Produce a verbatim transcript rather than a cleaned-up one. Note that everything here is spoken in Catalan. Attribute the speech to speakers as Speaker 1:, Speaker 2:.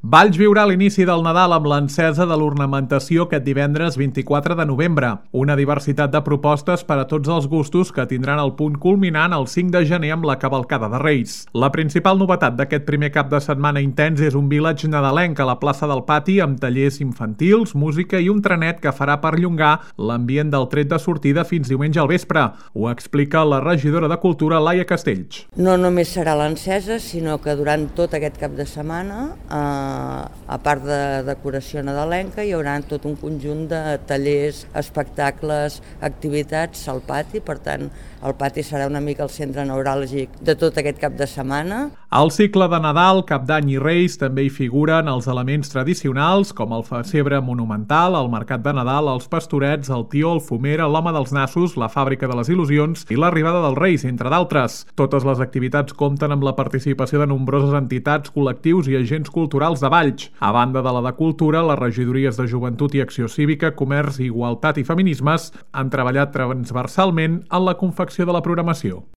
Speaker 1: Valls viurà l'inici del Nadal amb l'encesa de l'ornamentació aquest divendres vint-i-quatre de novembre. Una diversitat de propostes per a tots els gustos que tindran el punt culminant el cinc de gener amb la cavalcada de Reis. La principal novetat d'aquest primer cap de setmana intens és un village nadalenc a la plaça del Pati amb tallers infantils, música i un trenet que farà perllongar l'ambient del tret de sortida fins diumenge al vespre. Ho explica la regidora de Cultura, Laia Castells.
Speaker 2: No només serà l'encesa, sinó que durant tot aquest cap de setmana eh, a part de decoració nadalenca, hi haurà tot un conjunt de tallers, espectacles, activitats al pati, per tant, el pati serà una mica el centre neuràlgic de tot aquest cap de setmana.
Speaker 1: Al cicle de Nadal, Cap d'Any i Reis també hi figuren els elements tradicionals, com el pessebre monumental, el mercat de Nadal, els pastorets, el tió, el fumera, l'home dels nassos, la fàbrica de les il·lusions i l'arribada dels Reis, entre d'altres. Totes les activitats compten amb la participació de nombroses entitats, col·lectius i agents culturals de Valls. A banda de la de Cultura, les regidories de Joventut i Acció Cívica, Comerç, Igualtat i Feminismes han treballat transversalment en la confecció de la programació.